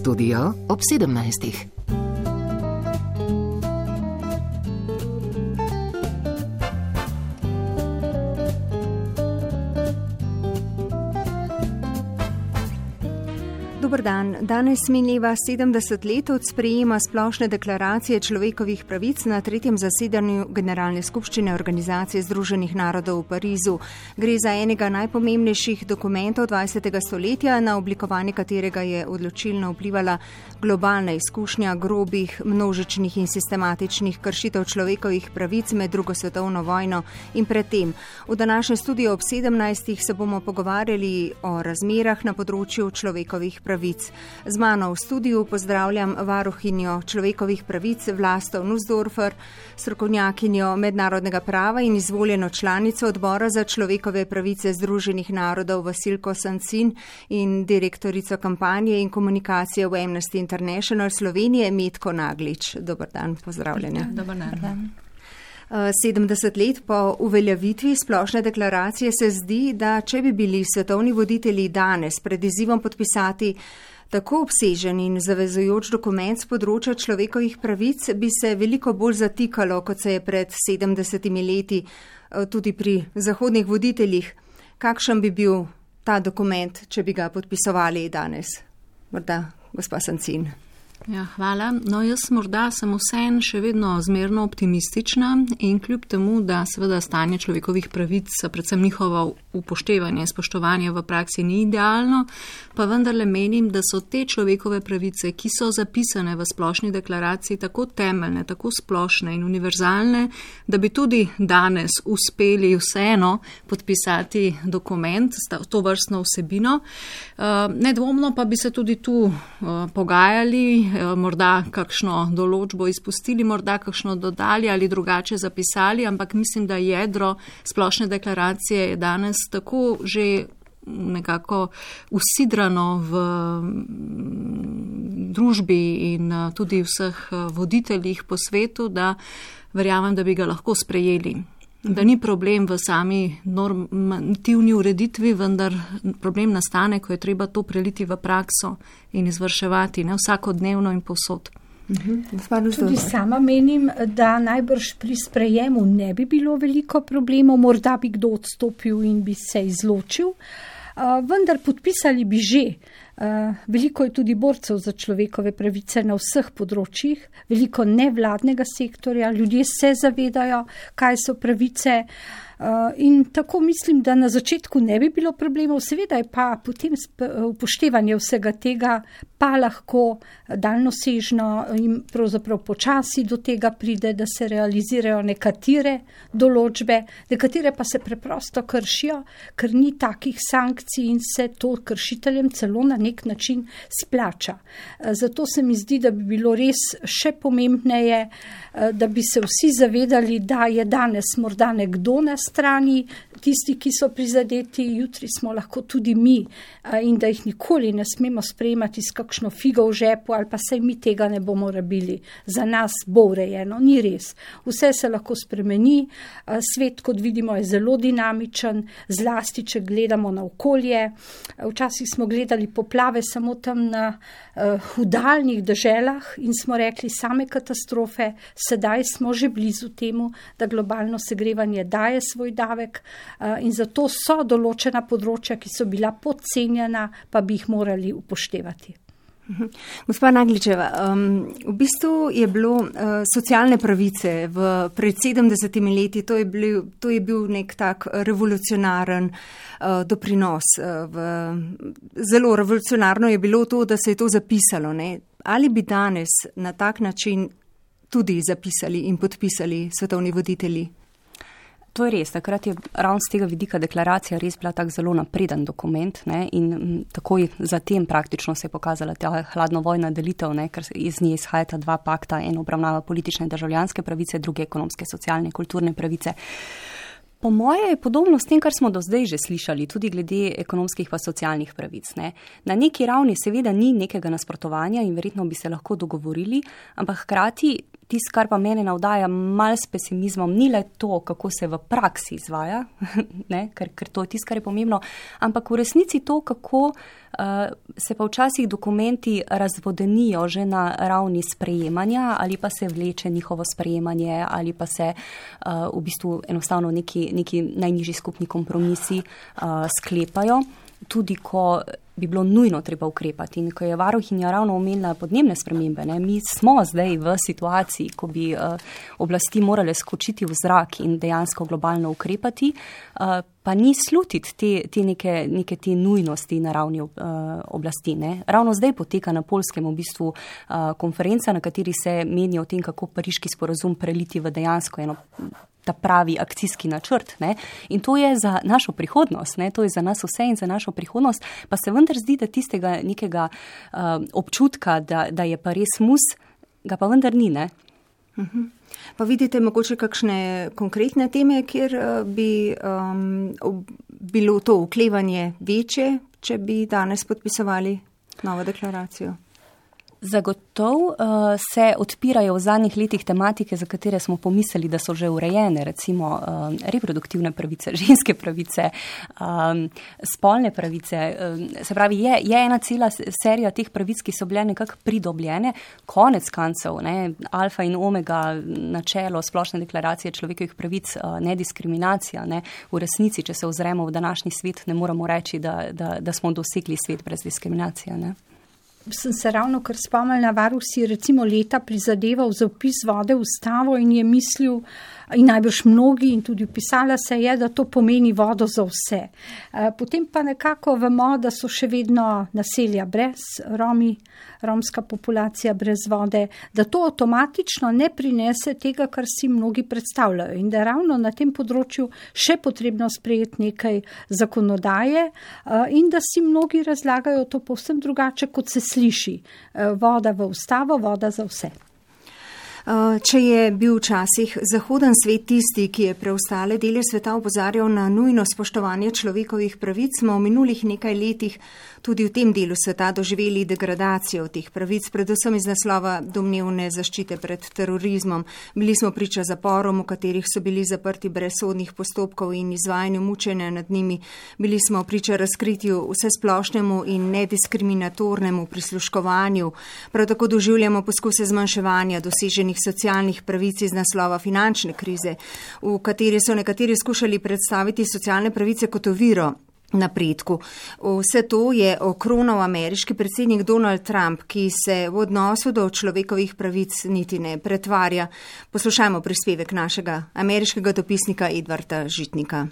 Studio ob 17. Dober dan. Danes mineva 70 let od sprejema splošne deklaracije človekovih pravic na 3. zasedanju Generalne skupščine Organizacije združenih narodov v Parizu. Gre za enega najpomembnejših dokumentov 20. stoletja, na oblikovanje katerega je odločilno vplivala globalna izkušnja grobih, množičnih in sistematičnih kršitev človekovih pravic med drugo svetovno vojno in predtem. V današnjem studiu ob 17. se bomo pogovarjali o razmerah na področju človekovih pravic. Z mano v studiu pozdravljam varuhinjo človekovih pravic Vlasto Nussdorfer, strokovnjakinjo mednarodnega prava in izvoljeno članico Odbora za človekove pravice Združenih narodov Vasilko Sancin in direktorico kampanje in komunikacije v Amnesty International Slovenije Metko Naglič. Dobar dan, pozdravljeni. Dobar dan. 70 let po uveljavitvi splošne deklaracije se zdi, da če bi bili svetovni voditelji danes pred izzivom podpisati tako obsežen in zavezujoč dokument z področja človekovih pravic, bi se veliko bolj zatikalo, kot se je pred 70 leti tudi pri zahodnih voditeljih. Kakšen bi bil ta dokument, če bi ga podpisovali danes? Morda gospa Sancin. Ja, hvala. No, jaz morda sem vseeno še vedno zmerno optimistična in kljub temu, da seveda stanje človekovih pravic, predvsem njihovo upoštevanje, spoštovanje v praksi ni idealno, pa vendarle menim, da so te človekove pravice, ki so zapisane v splošni deklaraciji, tako temeljne, tako splošne in univerzalne, da bi tudi danes uspeli vseeno podpisati dokument s to vrstno vsebino. Nedvomno pa bi se tudi tu pogajali, morda kakšno določbo izpustili, morda kakšno dodali ali drugače zapisali, ampak mislim, da jedro splošne deklaracije je danes tako že nekako usidrano v družbi in tudi vseh voditeljih po svetu, da verjamem, da bi ga lahko sprejeli. Da ni problem v sami normativni ureditvi, vendar problem nastane, ko je treba to preliti v prakso in izvrševati, ne vsakodnevno in povsod. Tudi sama menim, da najbrž pri sprejemu ne bi bilo veliko problemov, morda bi kdo odstopil in bi se izločil, vendar podpisali bi že. Veliko je tudi borcev za človekove pravice na vseh področjih, veliko nevladnega sektorja, ljudje se zavedajo, kaj so pravice in tako mislim, da na začetku ne bi bilo problemov, seveda je pa potem upoštevanje vsega tega pa lahko daljnosežno in pravzaprav počasi do tega pride, da se realizirajo nekatere določbe, nekatere pa se preprosto kršijo, ker ni takih sankcij in se to kršiteljem celo na nek način splača. Zato se mi zdi, da bi bilo res še pomembneje, da bi se vsi zavedali, da je danes morda nekdo na strani, tisti, ki so prizadeti, jutri smo lahko tudi mi in da jih nikoli ne smemo sprejemati s kakšno figo v žepu ali pa saj mi tega ne bomo rabili. Za nas bo urejeno, ni res. Vse se lahko spremeni, svet, kot vidimo, je zelo dinamičen, zlasti, če gledamo na okolje. Včasih smo gledali poplave samo tam na daljnih deželah in smo rekli same katastrofe, sedaj smo že blizu temu, da globalno segrevanje daje svoj davek in zato so določena področja, ki so bila podcenjena, pa bi jih morali upoštevati. Gospa Nagličeva, v bistvu je bilo socialne pravice pred 70 leti, to je bil nek tak revolucionaren doprinos. Zelo revolucionarno je bilo to, da se je to zapisalo. Ne? Ali bi danes na tak način tudi zapisali in podpisali svetovni voditelji? To je res, takrat je ravno z tega vidika deklaracija res bila tak zelo napreden dokument, ne, in takoj zatem praktično se je pokazala ta hladnovojna delitev, ne, ker iz nje izhajata dva pakta, en obravnava politične in državljanske pravice, druge ekonomske, socialne, kulturne pravice. Po moje je podobno s tem, kar smo do zdaj že slišali, tudi glede ekonomskih pa socialnih pravic. Ne. Na neki ravni seveda ni nekega nasprotovanja in verjetno bi se lahko dogovorili, ampak hkrati Tisto, kar pa mene navdaja malo s pesimizmom, ni le to, kako se v praksi izvaja, ne, ker to je tisto, kar je pomembno, ampak v resnici to, kako se pa včasih dokumenti razvodenijo že na ravni sprejemanja ali pa se vleče njihovo sprejemanje ali pa se v bistvu enostavno neki najnižji skupni kompromisi sklepajo, tudi ko bi bilo nujno treba ukrepati. In ko je varuhinja ravno omenila podnebne spremembe, ne, mi smo zdaj v situaciji, ko bi oblasti morale skočiti v zrak in dejansko globalno ukrepati, pa ni slutiti neke te nujnosti na ravni oblasti. Ne. Ravno zdaj poteka na Poljskem v bistvu konferenca, na kateri se meni o tem, kako pariški sporazum preliti v dejansko ta pravi akcijski načrt. Ne? In to je za našo prihodnost, ne? To je za nas vse in za našo prihodnost, pa se vendar zdi, da tistega nekega občutka, da je pa res mus, ga pa vendar ni, ne? Pa vidite mogoče kakšne konkretne teme, kjer bi bilo to oklevanje večje, če bi danes podpisovali novo deklaracijo? Zagotovo se odpirajo v zadnjih letih tematike, za katere smo pomislili, da so že urejene, recimo reproduktivne pravice, ženske pravice, spolne pravice. Se pravi, je ena cela serija teh pravic, ki so bile nekako pridobljene. Konec koncev, alfa in omega načelo splošne deklaracije človekovih pravic, nediskriminacija. Ne? V resnici, če se ozremo v današnji svet, ne moramo reči, da smo dosegli svet brez diskriminacije. Ne? Sem se ravno kar spomnila, varuh si recimo leta prizadeval za vpis vode v ustavo in je mislil, in najbrž mnogi, in tudi vpisala se je, da to pomeni vodo za vse. Potem pa nekako vemo, da so še vedno naselja brez romska populacija brez vode, da to avtomatično ne prinese tega, kar si mnogi predstavljajo in da je ravno na tem področju še potrebno sprejeti nekaj zakonodaje in da si mnogi razlagajo to povsem drugače, kot se sliši. Voda v ustavo, voda za vse. Če je bil včasih zahoden svet tisti, ki je preostale dele sveta opozarjal na nujno spoštovanje človekovih pravic, smo v minulih nekaj letih tudi v tem delu sveta doživeli degradacijo teh pravic, predvsem iz naslova domnevne zaščite pred terorizmom. Bili smo priča zaporom, v katerih so bili zaprti brez sodnih postopkov in izvajanju mučenja nad njimi. Bili smo priča razkritju vsesplošnemu in nediskriminatornemu prisluškovanju. Prav tako doživljamo poskuse zmanjševanja doseženih socialnih pravic iz naslova finančne krize, v kateri so nekateri skušali predstaviti socialne pravice kot oviro napredku. Vse to je okronal ameriški predsednik Donald Trump, ki se v odnosu do človekovih pravic niti ne pretvarja. Poslušajmo prispevek našega ameriškega dopisnika Edvarda Žitnika.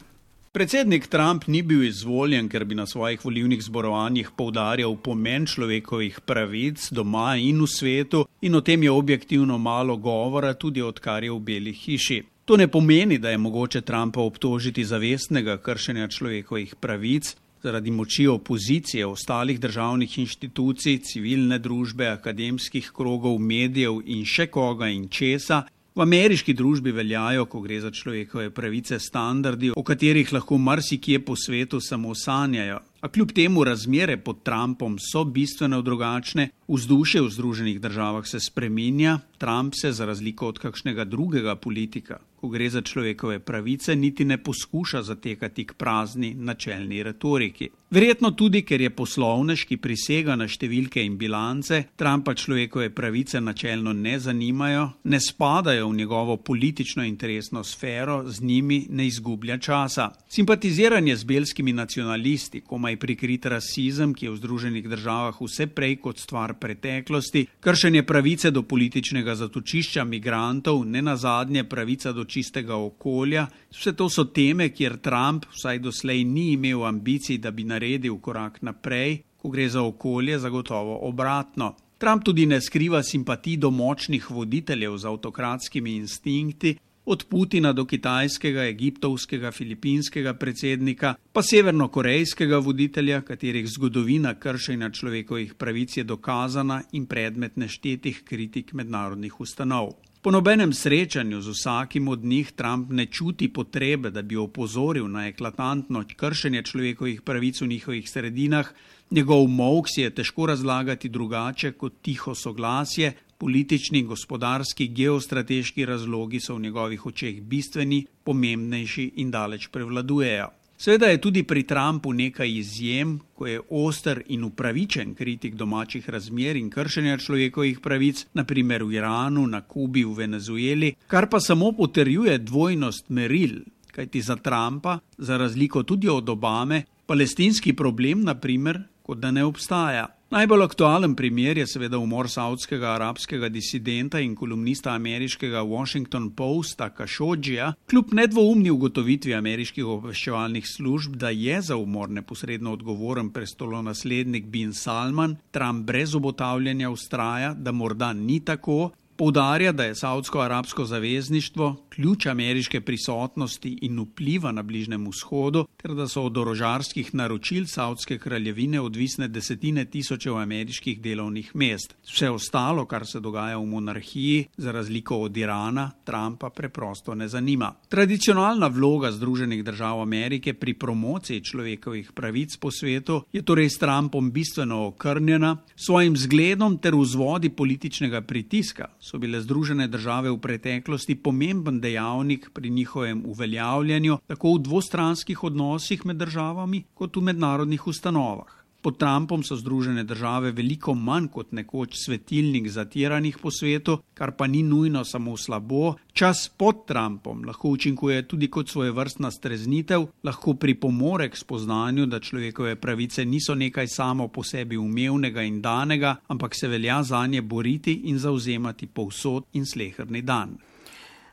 Predsednik Trump ni bil izvoljen, ker bi na svojih volilnih zborovanjih poudarjal pomen človekovih pravic doma in v svetu, in o tem je objektivno malo govora, tudi odkar je v Beli hiši. To ne pomeni, da je mogoče Trumpa obtožiti zavestnega kršenja človekovih pravic zaradi moči opozicije, ostalih državnih inštitucij, civilne družbe, akademskih krogov, medijev in še koga in česa. V ameriški družbi veljajo, ko gre za človekove pravice, standardi, o katerih lahko marsikje po svetu samo sanjajo. A kljub temu razmere pod Trumpom so bistveno drugačne, vzdušje v Združenih državah se spreminja, Trump se za razliko od kakšnega drugega politika, ko gre za človekove pravice, niti ne poskuša zatekati k prazni načelni retoriki. Verjetno tudi, ker je poslovnež, ki prisega na številke in bilance, Trumpa človekove pravice načelno ne zanimajo, ne spadajo v njegovo politično interesno sfero, z njimi ne izgublja časa. Simpatiziranje z belskimi nacionalisti, komaj prikrit rasizem, ki je v Združenih državah vse prej kot stvar preteklosti, kršenje pravice do političnega zatočišča migrantov, nenazadnje pravica do čistega okolja, vse to so teme, kjer Trump vsaj doslej ni imel ambicij, da bi naredil korak naprej, ko gre za okolje, zagotovo obratno. Trump tudi ne skriva simpatij do močnih voditeljev z avtokratskimi instinkti, od Putina do kitajskega, egiptovskega, filipinskega predsednika, pa severnokorejskega voditelja, katerih zgodovina kršenja človekovih pravic je dokazana in predmet neštetih kritik mednarodnih ustanov. Po nobenem srečanju z vsakim od njih Trump ne čuti potrebe, da bi opozoril na eklatantno kršenje človekovih pravic v njihovih sredinah. Njegov molk si je težko razlagati drugače kot tiho soglasje, Politični, gospodarski, geostrateški razlogi so v njegovih očeh bistveni, pomembnejši in daleč prevladujejo. Seveda je tudi pri Trumpu nekaj izjem, ko je oster in upravičen kritik domačih razmer in kršenja človekovih pravic, naprimer v Iranu, na Kubi, v Venezueli, kar pa samo potrjuje dvojnost meril, kajti za Trumpa, za razliko tudi od Obame, palestinski problem, naprimer, kot da ne obstaja. Najbolj aktualen primer je seveda umor saudskega arabskega disidenta in kolumnista ameriškega Washington Posta Khashogija, kljub nedvoumni ugotovitvi ameriških obveščevalnih služb, da je za umor neposredno odgovoren prestolonaslednik bin Salman, Trump brez obotavljanja vztraja, da morda ni tako. Poudarja, da je saudsko-arabsko zavezništvo ključ ameriške prisotnosti in vpliva na Bližnjem vzhodu, ter da so od orožarskih naročil Saudske kraljevine odvisne desetine tisočev ameriških delovnih mest. Vse ostalo, kar se dogaja v monarhiji, za razliko od Irana, Trumpa preprosto ne zanima. Tradicionalna vloga Združenih držav Amerike pri promociji človekovih pravic po svetu je torej s Trumpom bistveno okrnjena, svojim zgledom ter vzvodi političnega pritiska so bile Združene države v preteklosti pomemben dejavnik pri njihovem uveljavljanju, tako v dvostranskih odnosih med državami, kot v mednarodnih ustanovah. Pod Trumpom so Združene države veliko manj kot nekoč svetilnik zatiranih po svetu, kar pa ni nujno samo slabo. Čas pod Trumpom lahko učinkuje tudi kot svojevrstna streznitev, lahko pripomore k spoznanju, da človekove pravice niso nekaj samo po sebi umevnega in danega, ampak se velja zanje boriti in zavzemati povsod in sleherni dan.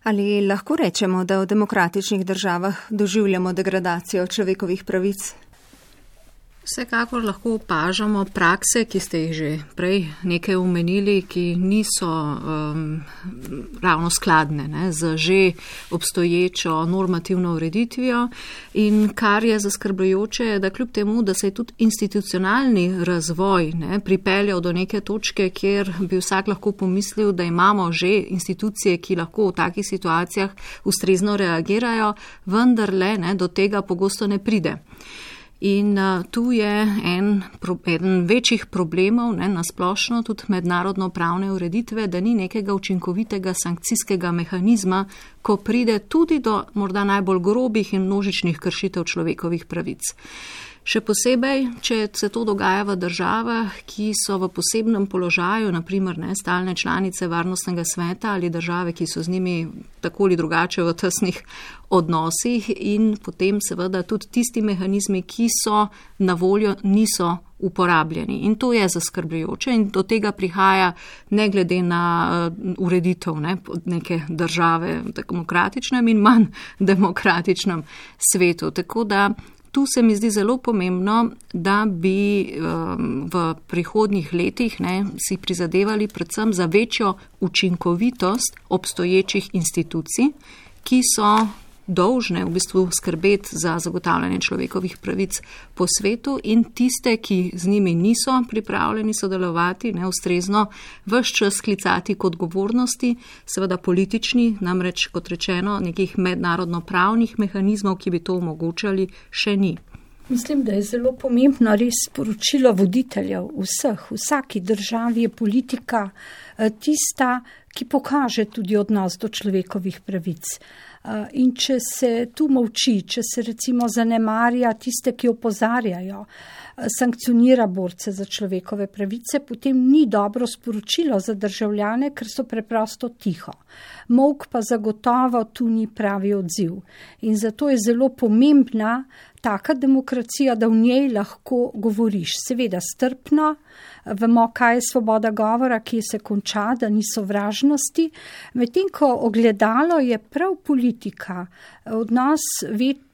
Ali lahko rečemo, da v demokratičnih državah doživljamo degradacijo človekovih pravic? Vsekakor lahko opažamo prakse, ki ste jih že prej nekaj omenili, ki niso ravno skladne z že obstoječo normativno ureditvijo, in kar je zaskrbljujoče, da kljub temu, da se je tudi institucionalni razvoj pripeljal do neke točke, kjer bi vsak lahko pomislil, da imamo že institucije, ki lahko v takih situacijah ustrezno reagirajo, vendarle do tega pogosto ne pride. In tu je eden večjih problemov, nasplošno tudi mednarodno pravne ureditve, da ni nekega učinkovitega sankcijskega mehanizma, ko pride tudi do morda najbolj grobih in množičnih kršitev človekovih pravic. Še posebej, če se to dogaja v državah, ki so v posebnem položaju, naprimer stalne članice Varnostnega sveta ali države, ki so z njimi tako ali drugače v tesnih odnosih, in potem seveda tudi tisti mehanizmi, ki so na voljo, niso uporabljeni. In to je zaskrbljujoče in do tega prihaja ne glede na ureditev neke države v demokratičnem in manj demokratičnem svetu. Tako da tu se mi zdi zelo pomembno, da bi v prihodnjih letih si prizadevali predvsem za večjo učinkovitost obstoječih institucij, ki so dolžne v bistvu skrbeti za zagotavljanje človekovih pravic po svetu, in tiste, ki z njimi niso pripravljeni sodelovati, ustrezno ves čas sklicati k odgovornosti, seveda politični, namreč kot rečeno, nekih mednarodno-pravnih mehanizmov, ki bi to omogočali, še ni. Mislim, da je zelo pomembno res sporočilo voditeljev vseh. V vsaki državi je politika tista, ki pokaže tudi odnos do človekovih pravic. In če se tu molči, če se recimo zanemarja tiste, ki opozarjajo, sankcionira borce za človekove pravice, potem ni dobro sporočilo za državljane, ker so preprosto tiho. Molk pa zagotovo tu ni pravi odziv. In zato je zelo pomembna taka demokracija, da v njej lahko govoriš. Seveda strpno, vemo, kaj je svoboda govora, kje se konča, da ni sovražnosti. Medtem ko ogledalo je prav politika, odnos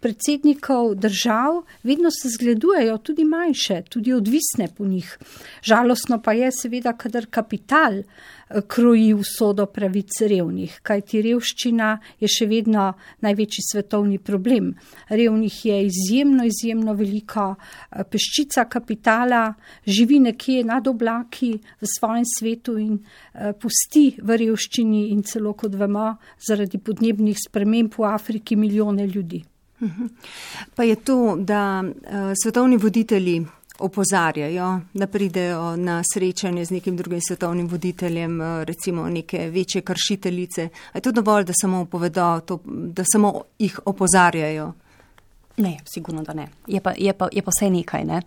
predsednikov držav, vedno se zgledujejo tudi manjše, tudi odvisne po njih. Žalostno pa je seveda, kadar kapital kroji usodo pravic revnih, kajti revščina je še vedno največji svetovni problem. Revnih je izjemno veliko, peščica kapitala živi nekje nad oblaki v svojem svetu in pusti v revščini in celo, kot vemo, zaradi podnebnih sprememb v Afriki milijone ljudi. Pa je to, da svetovni voditelji opozarjajo, da pridejo na srečanje z nekim drugim svetovnim voditeljem, recimo neke večje kršiteljice. A je to dovolj, da samo povedo, da samo jih opozarjajo? Ne, sigurno, da ne. Je pa vse nekaj, ne.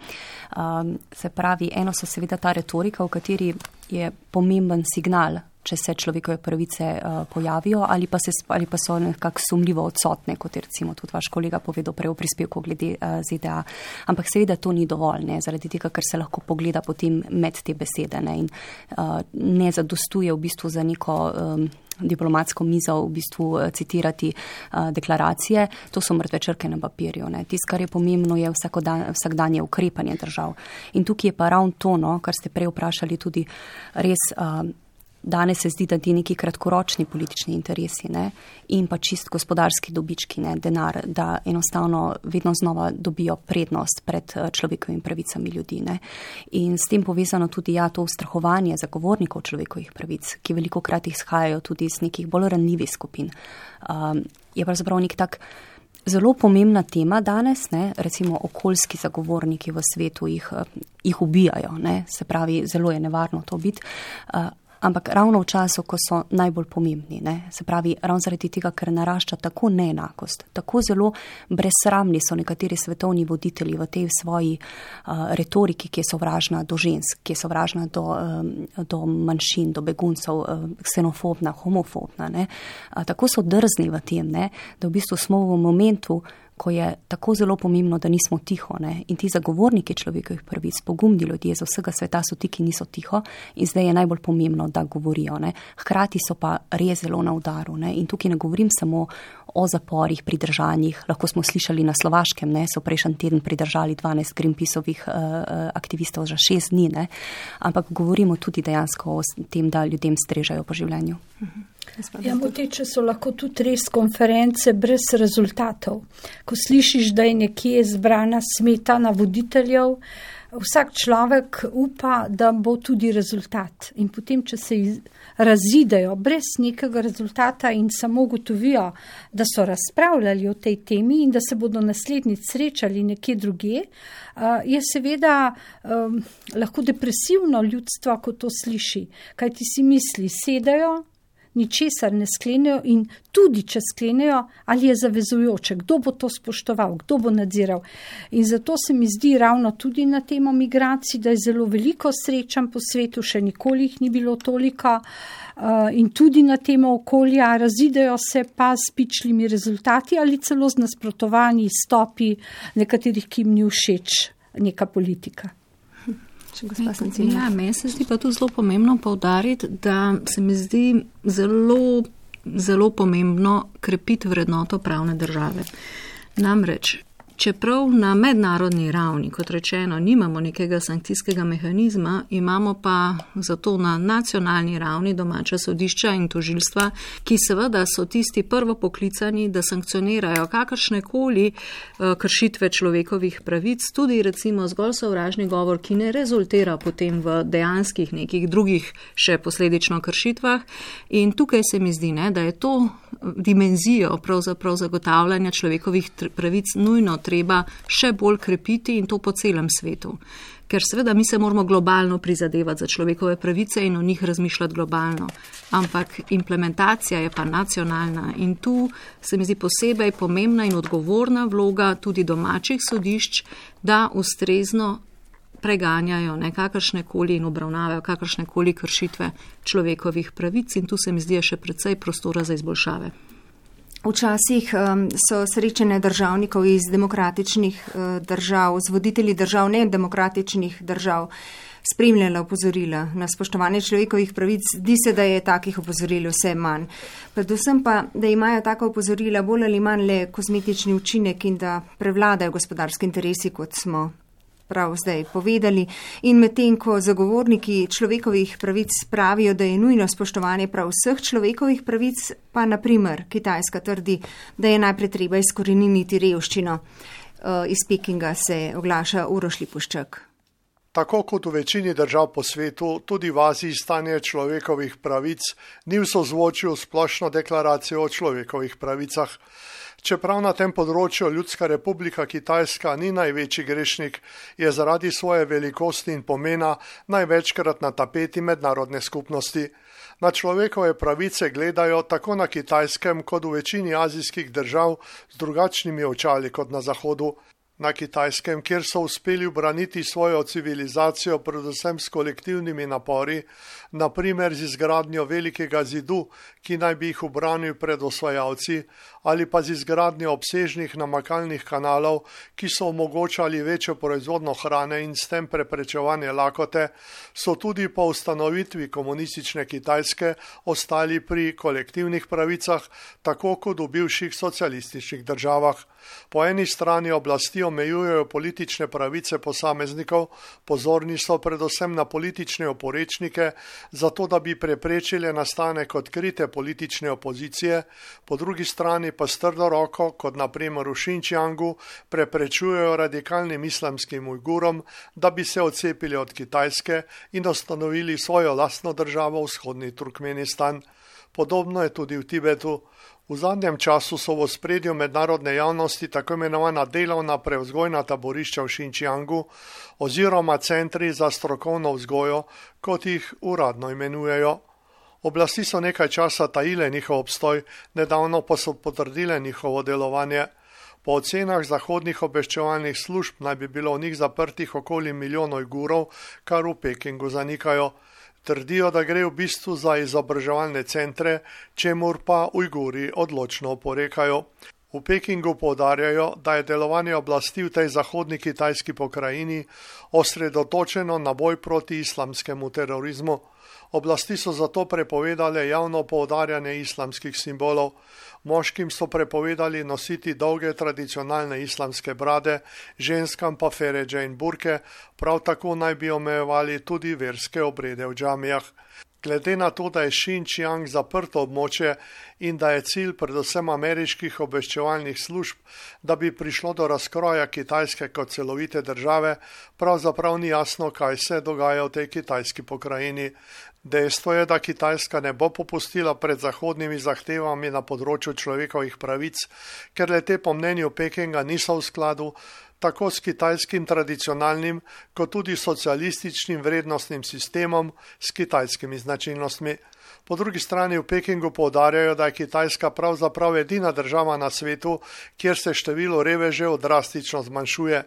Se pravi, eno so seveda ta retorika, v kateri je pomemben signal, če se človekove pravice pojavijo ali pa so nekako sumljivo odsotne, kot je recimo tudi vaš kolega povedal prej v prispevku glede ZDA. Ampak seveda to ni dovolj, ne, zaradi tega, ker se lahko pogleda potem med te besede, ne, in ne zadostuje v bistvu za neko diplomatsko mizo v bistvu citirati deklaracije. To so mrtve črke na papirju. Tisto, kar je pomembno, je vsakdanje ukrepanje držav. In tukaj je pa ravno to, kar ste prej vprašali, tudi res danes se zdi, da ti neki kratkoročni politični interesi, ne, in pa čist gospodarski dobički, ne, denar, da enostavno vedno znova dobijo prednost pred človekovimi pravicami ljudi. Ne. In s tem povezano tudi to ustrahovanje zagovornikov človekovih pravic, ki velikokrat izhajajo tudi iz nekih bolj ranljivih skupin. Je pravzaprav nek tak zelo pomembna tema danes, ne, recimo okoljski zagovorniki v svetu jih ubijajo, ne, se pravi, zelo je nevarno to biti. Ampak ravno v času, ko so najbolj pomembni, ne? Se pravi, ravno zaradi tega, ker narašča tako neenakost, tako zelo brezsramni so nekateri svetovni voditelji v tej svoji retoriki, ki je sovražna do žensk, ki je sovražna do manjšin, do beguncev, ksenofobna, homofobna, ne? Tako so drzni v tem, ne? Da v bistvu smo v momentu, ko je tako zelo pomembno, da nismo tiho, ne? In ti zagovorniki človekovih pravic, pogumni ljudje z vsega sveta so ti, ki niso tiho, in zdaj je najbolj pomembno, da govorijo, ne? Hkrati so pa res zelo na udaru, ne? In tukaj ne govorim samo o zaporih, pridržanjih, lahko smo slišali na Slovaškem, ne? So prejšnji teden pridržali 12 Greenpeaceovih aktivistov za 6 dni, ne? Ampak govorimo tudi dejansko o tem, da ljudem strežajo po življenju. Ja, moteče so lahko tudi res konference brez rezultatov. Ko slišiš, da je nekje zbrana smetana voditeljev, vsak človek upa, da bo tudi rezultat. In potem, če se razidejo brez nekega rezultata in samo ugotovijo, da so razpravljali o tej temi in da se bodo naslednjič srečali nekje drugje, je seveda lahko depresivno ljudstvo, ko to sliši. Kaj ti si misli, sedajo, ničesar ne sklenejo in tudi, če sklenejo, ali je zavezujoče, kdo bo to spoštoval, kdo bo nadziral. In zato se mi zdi ravno tudi na temo migracij, da je zelo veliko srečanj po svetu, še nikoli jih ni bilo toliko, in tudi na temo okolja razidejo se pa s pičlimi rezultati ali celo z nasprotovanji stopi nekaterih, ki jim ni všeč neka politika. Ja, meni se zdi pa tudi zelo pomembno poudariti, da se mi zdi zelo, zelo pomembno krepiti vrednoto pravne države. Namreč, čeprav na mednarodni ravni, kot rečeno, nimamo nekega sankcijskega mehanizma, imamo pa zato na nacionalni ravni domača sodišča in tožilstva, ki seveda so tisti prvo poklicani, da sankcionirajo kakršnekoli kršitve človekovih pravic, tudi recimo zgolj sovražni govor, ki ne rezultira potem v dejanskih nekih drugih še posledično kršitvah. In tukaj se mi zdi, ne, da je to dimenzijo pravzaprav zagotavljanja človekovih pravic nujno treba še bolj krepiti in to po celem svetu. Ker seveda mi se moramo globalno prizadevati za človekove pravice in o njih razmišljati globalno. Ampak implementacija je pa nacionalna in tu se mi zdi posebej pomembna in odgovorna vloga tudi domačih sodišč, da ustrezno preganjajo kakršnekoli in obravnavajo kakršnekoli kršitve človekovih pravic in tu se mi zdi še precej prostora za izboljšave. Včasih so srečanja državnikov iz demokratičnih držav, z voditelji držav nedemokratičnih držav, spremljala opozorila na spoštovanje človekovih pravic. Zdi se, da je takih opozoril vse manj. Predvsem pa, da imajo taka opozorila bolj ali manj le kozmetični učinek in da prevladajo gospodarski interesi, kot smo prav zdaj povedali. In medtem, ko zagovorniki človekovih pravic pravijo, da je nujno spoštovanje prav vseh človekovih pravic, pa naprimer Kitajska trdi, da je najprej treba izkoreniniti revščino. Iz Pekinga se oglaša Uroš Lipuščak. Tako kot v večini držav po svetu, tudi v Aziji stanje človekovih pravic ni v sozvočju s splošno deklaracijo o človekovih pravicah. Čeprav na tem področju Ljudska republika Kitajska ni največji grešnik, je zaradi svoje velikosti in pomena največkrat na tapeti mednarodne skupnosti. Na človekove pravice gledajo tako na Kitajskem kot v večini azijskih držav z drugačnimi očali kot na Zahodu. Na Kitajskem, kjer so uspeli ubraniti svojo civilizacijo predvsem s kolektivnimi napori, naprimer z izgradnjo velikega zidu, ki naj bi jih ubranil pred osvajalci, ali pa z izgradnjo obsežnih namakalnih kanalov, ki so omogočali večjo proizvodno hrane in s tem preprečevanje lakote, so tudi po ustanovitvi komunistične Kitajske ostali pri kolektivnih pravicah, tako kot v bivših socialističnih državah. Po eni strani oblasti omejujejo politične pravice posameznikov, pozorni so predvsem na politične oporečnike, zato da bi preprečili nastanek odkrite politične opozicije, po drugi strani pa s trdo roko, kot na primer v Xinjiangu, preprečujejo radikalnim islamskim Ujgurom, da bi se odcepili od Kitajske in ustanovili svojo lastno državo, vzhodni Turkmenistan. Podobno je tudi v Tibetu. V zadnjem času so v ospredju mednarodne javnosti tako imenovana delovna prevzgojna taborišča v Xinjiangu oziroma centri za strokovno vzgojo, kot jih uradno imenujejo. Oblasti so nekaj časa tajile njihov obstoj, nedavno pa so potrdile njihovo delovanje. Po ocenah zahodnih obveščevalnih služb naj bi bilo v njih zaprtih okoli 1 milijon Ujgurov, kar v Pekingu zanikajo. Trdijo, da gre v bistvu za izobraževalne centre, čemur pa Ujguri odločno oporekajo. V Pekingu poudarjajo, da je delovanje oblasti v tej zahodni kitajski pokrajini osredotočeno na boj proti islamskemu terorizmu. Oblasti so zato prepovedale javno poudarjanje islamskih simbolov. Moškim so prepovedali nositi dolge tradicionalne islamske brade, ženskam pa feredže in burke, prav tako naj bi omejevali tudi verske obrede v džamijah. Glede na to, da je Xinjiang zaprto območje in da je cilj predvsem ameriških obveščevalnih služb, da bi prišlo do razkroja Kitajske kot celovite države, pravzaprav ni jasno, kaj se dogaja v tej kitajski pokrajini. Dejstvo je, da Kitajska ne bo popustila pred zahodnimi zahtevami na področju človekovih pravic, ker le te po mnenju Pekinga niso v skladu tako s kitajskim tradicionalnim, kot tudi socialističnim vrednostnim sistemom s kitajskimi značilnostmi. Po drugi strani v Pekingu poudarjajo, da je Kitajska pravzaprav edina država na svetu, kjer se število revežev drastično zmanjšuje.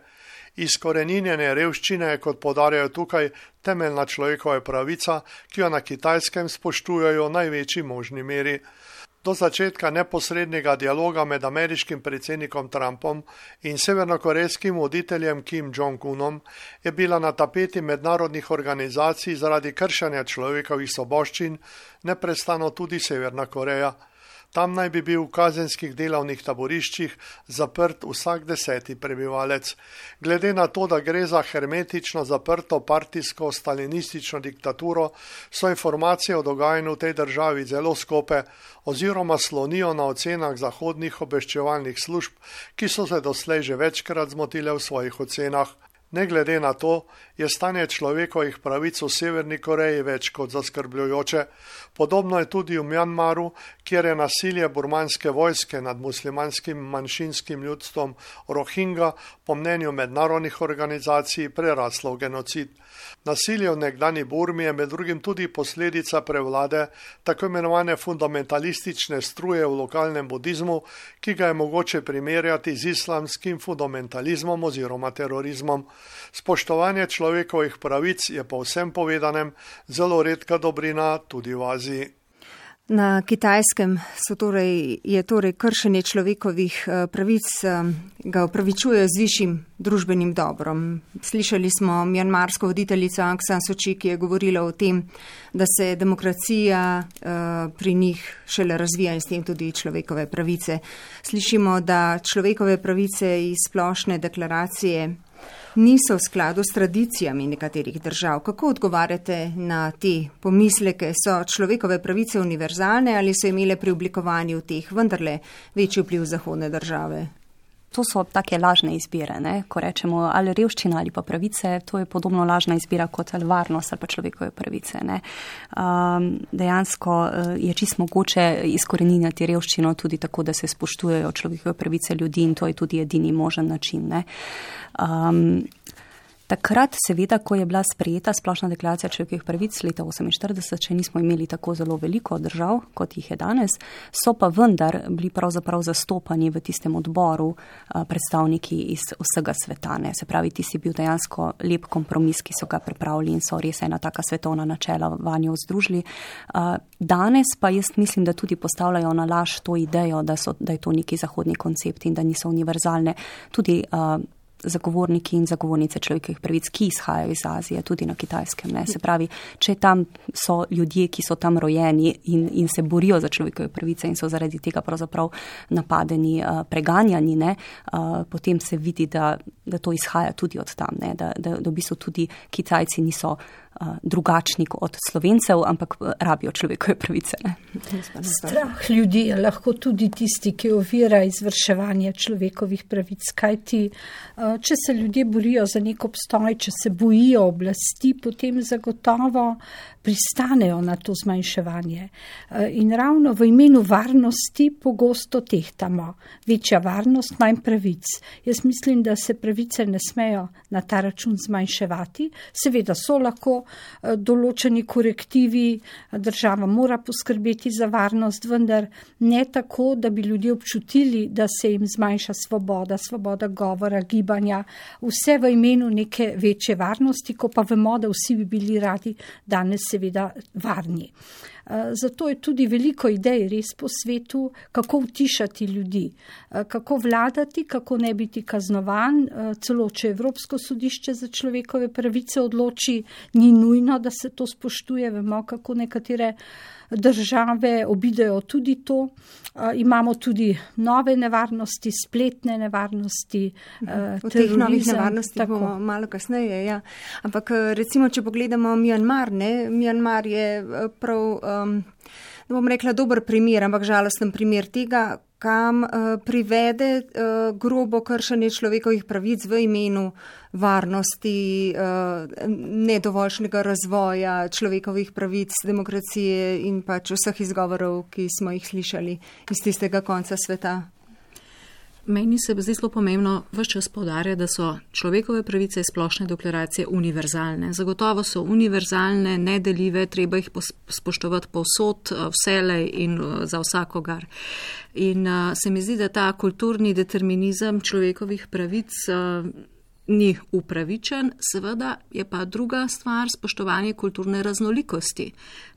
Izkoreninjenje revščine je, kot poudarjajo tukaj, temeljna človekova pravica, ki jo na Kitajskem spoštujejo v največji možni meri. Do začetka neposrednega dialoga med ameriškim predsednikom Trumpom in severnokorejskim voditeljem Kim Jong-unom je bila na tapeti mednarodnih organizacij zaradi kršenja človekovih svoboščin neprestano tudi Severna Koreja. Tam naj bi bil v kazenskih delovnih taboriščih zaprt vsak 10. prebivalec. Glede na to, da gre za hermetično zaprto partijsko stalinistično diktaturo, so informacije o dogajanju v tej državi zelo skope oziroma slonijo na ocenah zahodnih obveščevalnih služb, ki so se doslej že večkrat zmotile v svojih ocenah. Ne glede na to, je stanje človekovih pravic v Severni Koreji več kot zaskrbljujoče. Podobno je tudi v Mjanmaru, kjer je nasilje burmanske vojske nad muslimanskim manjšinskim ljudstvom Rohingja po mnenju mednarodnih organizacij preraslo v genocid. Nasilje v nekdani Burmi je med drugim tudi posledica prevlade tako imenovane fundamentalistične struje v lokalnem budizmu, ki ga je mogoče primerjati z islamskim fundamentalizmom oziroma terorizmom. Spoštovanje človekovih pravic je po vsem povedanem zelo redka dobrina tudi v Aziji. Na Kitajskem je torej kršenje človekovih pravic, ga upravičujejo z višjim družbenim dobrom. Slišali smo mjanmarsko voditeljico Aung San Suu Kyi, ki je govorila o tem, da se demokracija pri njih šele razvija in s tem tudi človekove pravice. Slišimo, da človekove pravice iz splošne deklaracije niso v skladu s tradicijami nekaterih držav. Kako odgovarjate na te pomisleke? So človekove pravice univerzalne ali so imele pri oblikovanju teh vendarle večji vpliv zahodne države? to so take lažne izbire, ne? Ko rečemo ali revščina ali pa pravice, to je podobno lažna izbira kot ali varnost ali pa človekove pravice. Ne? Dejansko je čisto mogoče izkoreninjati revščino tudi tako, da se spoštujejo človekove pravice ljudi in to je tudi edini možen način. Ne? Takrat, seveda, ko je bila sprejeta splošna deklaracija človekovih pravic leta 1948, še nismo imeli tako zelo veliko držav, kot jih je danes, so pa vendar bili pravzaprav zastopani v tistem odboru predstavniki iz vsega sveta. Ne. Se pravi, tisti bil dejansko lep kompromis, ki so ga pripravili in so res ena taka svetovna načela vanjo združili. Danes pa jaz mislim, da tudi postavljajo na laž to idejo, da je to neki zahodni koncept in da niso univerzalne. Tudi zagovorniki in zagovornice človekovih pravic, ki izhajajo iz Azije, tudi na Kitajskem. Ne. Se pravi, če tam so ljudje, ki so tam rojeni in se borijo za človekove pravice in so zaradi tega pravzaprav napadeni, preganjani, ne, potem se vidi, da to izhaja tudi od tam, ne, da v bistvu tudi Kitajci niso drugačni od Slovencev, ampak rabijo človekove pravice. Ne. Strah ljudi je lahko tudi tisti, ki ovira izvrševanje človekovih pravic, kajti če se ljudje borijo za nek obstoj, če se bojijo oblasti, potem zagotovo pristanejo na to zmanjševanje. In ravno v imenu varnosti pogosto tehtamo. Večja varnost, manj pravic. Jaz mislim, da se pravice ne smejo na ta račun zmanjševati. Seveda so lahko določeni korektivi, država mora poskrbeti za varnost, vendar ne tako, da bi ljudje občutili, da se jim zmanjša svoboda govora, gibanja, vse v imenu neke večje varnosti, ko pa vemo, da vsi bi bili radi danes seveda varni. Zato je tudi veliko idej res po svetu, kako utišati ljudi, kako vladati, kako ne biti kaznovan, celo če Evropsko sodišče za človekove pravice odloči, ni nujno, da se to spoštuje, vemo, kako nekatere države obidejo tudi to. Imamo tudi nove nevarnosti, spletne nevarnosti, terorizem. V teh novih nevarnostih bomo malo kasneje, ja. Ampak recimo, če pogledamo Mjanmar, ne, Mjanmar je prav, ne bom rekla dober primer, ampak žalosten primer tega, kam privede grobo kršenje človekovih pravic v imenu varnosti, nedovoljšnega razvoja človekovih pravic, demokracije in pač vseh izgovorov, ki smo jih slišali iz tistega konca sveta. Meni se zdi zelo pomembno ves čas poudarjati, da so človekove pravice iz splošne deklaracije univerzalne. Zagotovo so univerzalne, nedeljive, treba jih spoštovati povsod, vselej in za vsakogar. In se mi zdi, da ta kulturni determinizem človekovih pravic ni upravičen, seveda je pa druga stvar spoštovanje kulturne raznolikosti.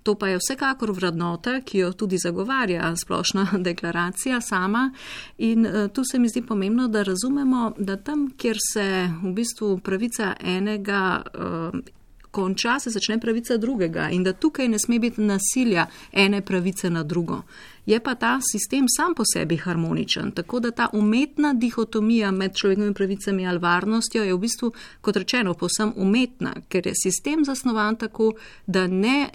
To pa je vsekakor vrednota, ki jo tudi zagovarja splošna deklaracija sama in tu se mi zdi pomembno, da razumemo, da tam, kjer se v bistvu pravica enega konča, se začne pravica drugega in da tukaj ne sme biti nasilja ene pravice na drugo. Je pa ta sistem sam po sebi harmoničen, tako da ta umetna dihotomija med človekovimi pravicami ali varnostjo je v bistvu, kot rečeno, povsem umetna, ker je sistem zasnovan tako, da ne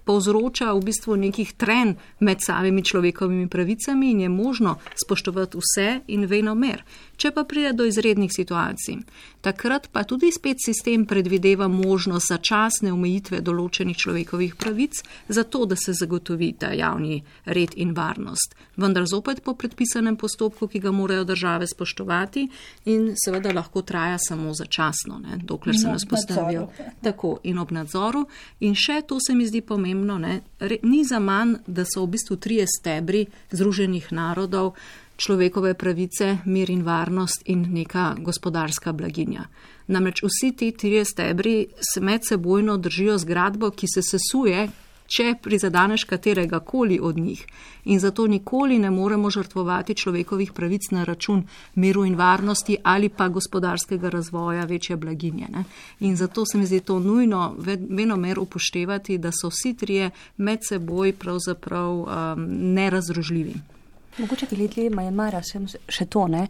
povzroča v bistvu nekih trenj med samimi človekovimi pravicami in je možno spoštovati vse in venomer. Če pa pride do izrednih situacij, takrat pa tudi spet sistem predvideva možnost začasne omejitve določenih človekovih pravic, zato da se zagotovi ta javni red in varnost. Vendar zopet po predpisanem postopku, ki ga morajo države spoštovati in seveda lahko traja samo začasno, ne, dokler se ne spostavijo. Tako in ob nadzoru. In še to se mi zdi pomembno, ne, ni zaman, da so v bistvu 3 stebri Združenih narodov, človekove pravice, mir in varnost in neka gospodarska blaginja. Namreč vsi ti 3 stebri se medsebojno držijo zgradbo, ki se sesuje, če prizadaneš katerega koli od njih. In zato nikoli ne moremo žrtvovati človekovih pravic na račun miru in varnosti ali pa gospodarskega razvoja, večje blaginje. Ne? In zato se mi zdi to nujno venomer upoštevati, da so vsi 3 med seboj pravzaprav nerazdružljivi. Mogoče glede Mjanmara še to, ne?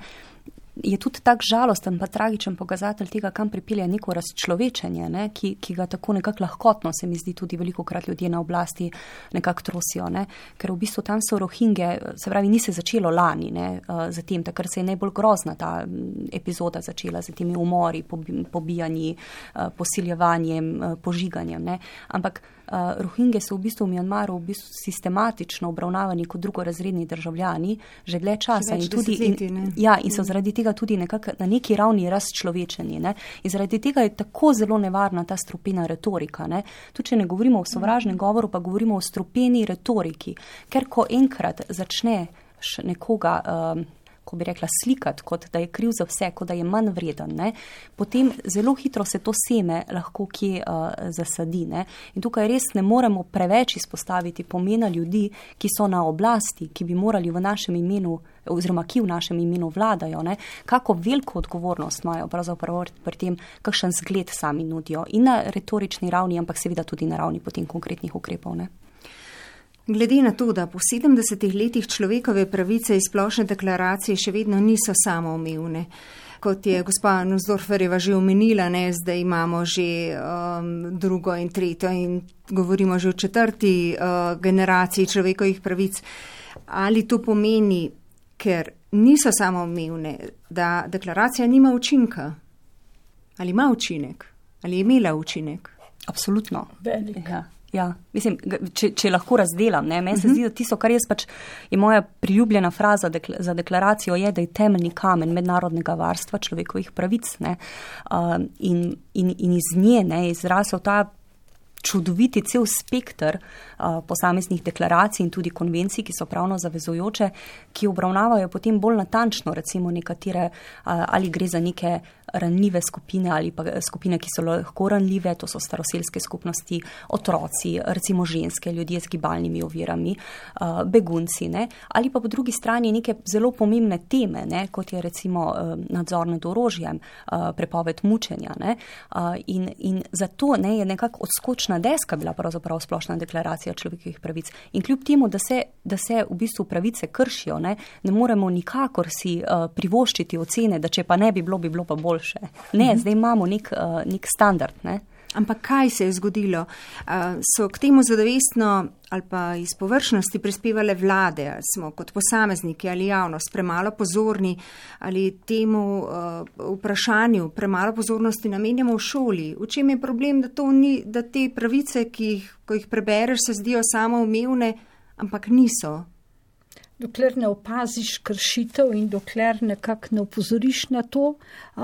je tudi tak žalosten pa tragičen pokazatelj tega, kam pripelje neko razčlovečenje, ne, ki ga tako nekako lahkotno, se mi zdi, tudi velikokrat ljudje na oblasti nekako trosijo, ne, ker v bistvu tam so Rohingje, se pravi, ni se začelo lani, ne, za tem, takrat se je najbolj grozna ta epizoda začela z temi umori, pobijanji, posiljevanjem, požiganjem, ne, ampak Rohingje so v bistvu v Mjanmaru v bistvu sistematično obravnavani kot drugorazredni državljani že dlje časa in so zaradi tega tudi nekako na neki ravni razčlovečeni, ne? In zaradi tega je tako zelo nevarna ta strupena retorika, ne? Tudi če ne govorimo o sovražnem govoru, pa govorimo o strupeni retoriki, ker ko enkrat začneš nekoga ko bi rekla, slikati, kot da je kriv za vse, kot da je manj vreden, ne? Potem zelo hitro se to seme lahko kje zasadi. Ne? In tukaj res ne moremo preveč izpostaviti pomena ljudi, ki so na oblasti, ki bi morali v našem imenu, oziroma ki v našem imenu vladajo, ne? Kako veliko odgovornost imajo pravzaprav pri tem, kakšen zgled sami nudijo in na retorični ravni, ampak seveda tudi na ravni potem konkretnih ukrepov, ne? Glede na to, da po 70 letih človekove pravice iz splošne deklaracije še vedno niso samoumevne, kot je gospa Nussdorferjeva že omenila, ne, zdaj imamo že drugo in tretjo in govorimo že o četrti generaciji človekovih pravic, ali to pomeni, ker niso samoumevne, da deklaracija nima učinka? Ali ima učinek? Ali je imela učinek? Absolutno. Velik. Ja, mislim, če lahko razdelam, ne, meni se zdi, da tisto, kar jaz pač je moja priljubljena fraza za deklaracijo je, da je temeljni kamen mednarodnega varstva človekovih pravic, ne, in iz nje, ne, izrasel ta čudoviti cel spekter posameznih deklaracij in tudi konvencij, ki so pravno zavezujoče, ki obravnavajo potem bolj natančno, recimo nekatere, ali gre za neke ranljive skupine ali pa skupine, ki so lahko ranljive, to so staroselske skupnosti, otroci, recimo ženske, ljudje z gibalnimi ovirami, begunci, ne, ali pa po drugi strani neke zelo pomembne teme, ne, kot je recimo nadzor nad orožjem, prepoved mučenja, ne, in zato, ne, je nekako odskočna deska bila pravzaprav splošna deklaracija človekovih pravic. In kljub temu, da se v bistvu pravice kršijo, ne moremo nikakor si privoščiti ocene, da če pa ne bi bilo pa boljše. Ne, zdaj imamo nek standard, ne. Ampak kaj se je zgodilo? So k temu zadovestno ali pa iz površnosti prispevale vlade, ali smo kot posamezniki ali javnost premalo pozorni, ali temu vprašanju premalo pozornosti namenjamo v šoli? V čem je problem, da te pravice, ko jih prebereš, se zdijo samoumevne, ampak niso? Dokler ne opaziš kršitev in dokler nekako ne opozoriš na to,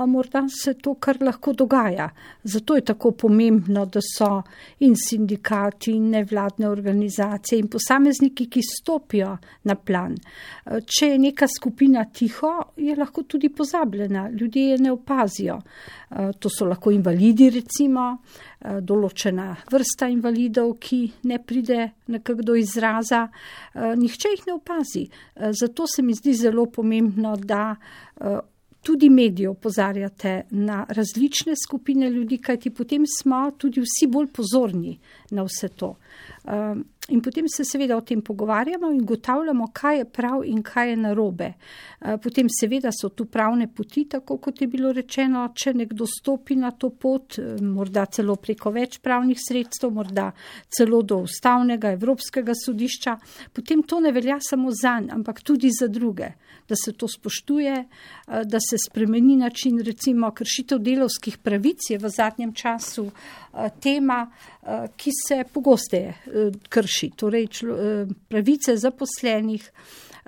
morda se to kar lahko dogaja. Zato je tako pomembno, da so in sindikati, in nevladne organizacije in posamezniki, ki stopijo na plan. Če je neka skupina tiho, je lahko tudi pozabljena, ljudje je ne opazijo. To so lahko invalidi, recimo, določena vrsta invalidov, ki ne pride nekako do izraza, nihče jih ne opazi. Zato se mi zdi zelo pomembno, da tudi mediji opozarjate na različne skupine ljudi, kajti potem smo tudi vsi bolj pozorni na vse to. In potem se seveda o tem pogovarjamo in ugotavljamo, kaj je prav in kaj je narobe. Potem seveda so tu pravne poti, tako kot je bilo rečeno, če nekdo stopi na to pot, morda celo preko več pravnih sredstev, morda celo do ustavnega, Evropskega sodišča, potem to ne velja samo zanj, ampak tudi za druge, da se to spoštuje, da se spremeni način, recimo kršitev delavskih pravic je v zadnjem času tema, ki se pogosteje krši. Torej, pravice zaposlenih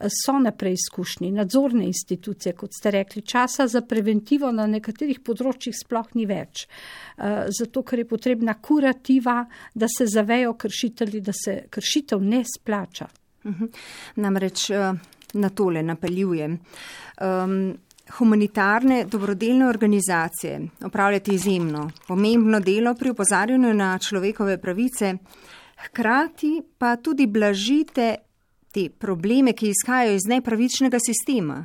so na preizkušnji, nadzorne institucije, kot ste rekli, časa za preventivo na nekaterih področjih sploh ni več. Zato, ker je potrebna kurativa, da se zavejo kršitelji, da se kršitev ne splača. Namreč na tole napeljujem. Humanitarne dobrodelne organizacije opravljate izjemno pomembno delo pri opozarjanju na človekove pravice, hkrati pa tudi blažite te probleme, ki izhajajo iz nepravičnega sistema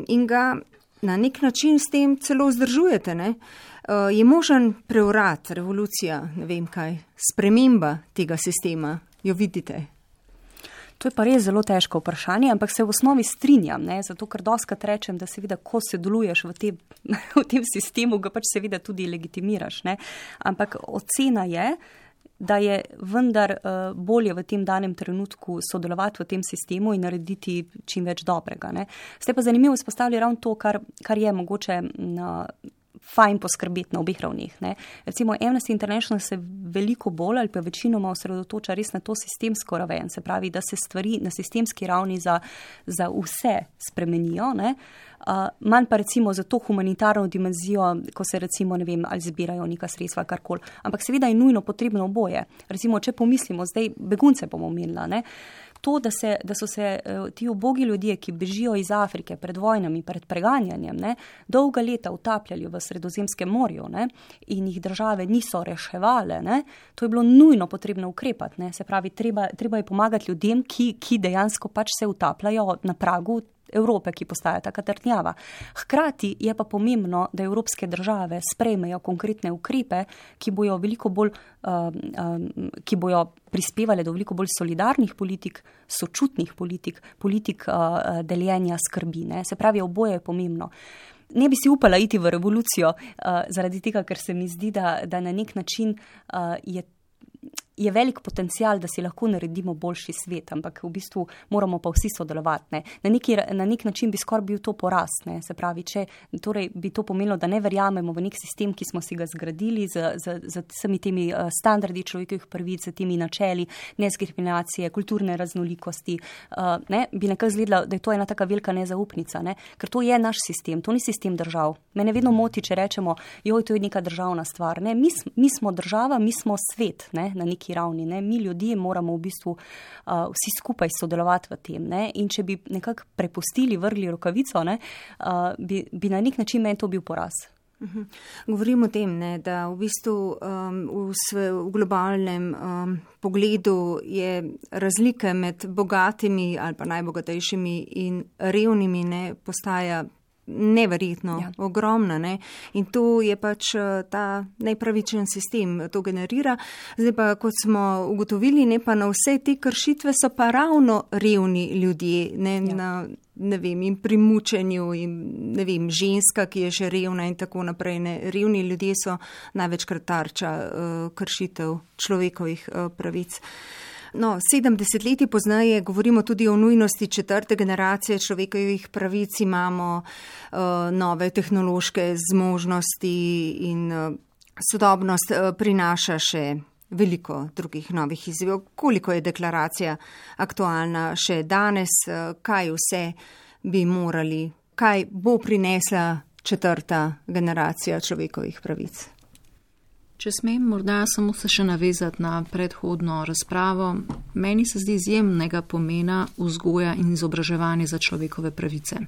in ga na nek način s tem celo vzdržujete, ne? Je možen prevrat, revolucija, ne vem kaj, sprememba tega sistema, jo vidite? To je pa res zelo težko vprašanje, ampak se v osnovi strinjam, ne? Zato ker doskrat rečem, da seveda, ko sodeluješ v tem sistemu, ga pač seveda tudi legitimiraš, ne? Ampak ocena je, da je vendar bolje v tem danem trenutku sodelovati v tem sistemu in narediti čim več dobrega, ne? Ste pa zanimivo izpostavili ravno to, kar je mogoče fajn poskrbeti na obeh ravneh, ne. Recimo Amnesty International se veliko bolj ali pa večinoma osredotoča res na to sistemsko raven, se pravi, da se stvari na sistemski ravni za vse spremenijo, ne. Manj pa recimo za to humanitarno dimenzijo, ko se recimo, ne vem, ali zbirajo neka sredstva, karkoli. Ampak seveda je nujno potrebno oboje. Recimo, če pomislimo, zdaj begunce bomo omenila, ne. To, da so se ti ubogi ljudje, ki bežijo iz Afrike pred vojnami, pred preganjanjem, ne, dolga leta utapljali v Sredozemskem morju, ne, in jih države niso reševale, ne, to je bilo nujno potrebno ukrepati, ne, se pravi, treba je pomagati ljudem, ki dejansko pač se utapljajo na pragu Evrope, ki postaja taka trdnjava. Hkrati je pa pomembno, da evropske države sprejmejo konkretne ukrepe, ki bojo veliko bolj, ki bojo prispevale do veliko bolj solidarnih politik, sočutnih politik deljenja skrbi, ne. Se pravi, oboje je pomembno. Ne bi si upala iti v revolucijo zaradi tega, ker se mi zdi, da na nek način je velik potencial, da si lahko naredimo boljši svet, ampak v bistvu moramo pa vsi sodelovati, ne. Na nek način bi skoraj bil to poraz, ne. Se pravi, torej bi to pomenilo, da ne verjamemo v nek sistem, ki smo si ga zgradili z vsemi temi standardi človekovih pravic, z temi načeli nediskriminacije, kulturne raznolikosti, ne, bi nekako izgledalo, da je to ena taka velika nezaupnica, ne. Ker to je naš sistem, to ni sistem držav. Mene vedno moti, če rečemo, joj, to je neka državna stvar, ne. Mi smo država, mi smo svet, ne, na neki ravni, ne. Mi ljudje moramo v bistvu vsi skupaj sodelovati v tem, ne. In če bi nekako prepustili, vrgli rokavico, ne, bi na nek način meni to bil poraz. Govorim o tem, ne, da v bistvu v globalnem pogledu je razlika med bogatimi ali pa najbogatejšimi in revnimi, ne, postaja neverjetno, ogromna, ne. In to je pač ta nepravičen sistem, to generira. Zdaj pa, kot smo ugotovili, ne, pa na vse te kršitve so pa ravno revni ljudje, ne, ne vem, in pri mučenju, in ne vem, ženska, ki je še revna in tako naprej, ne. Revni ljudje so največkrat tarča kršitev človekovih pravic. No, 70 leti pozneje govorimo tudi o nujnosti 4. generacije človekovih pravic, imamo nove tehnološke zmožnosti in sodobnost prinaša še veliko drugih novih izzivov. Koliko je deklaracija aktualna še danes, kaj vse bi morali, kaj bo prinesla 4. generacija človekovih pravic? Če smem morda samo se še navezati na predhodno razpravo, meni se zdi izjemnega pomena vzgoja in izobraževanje za človekove pravice.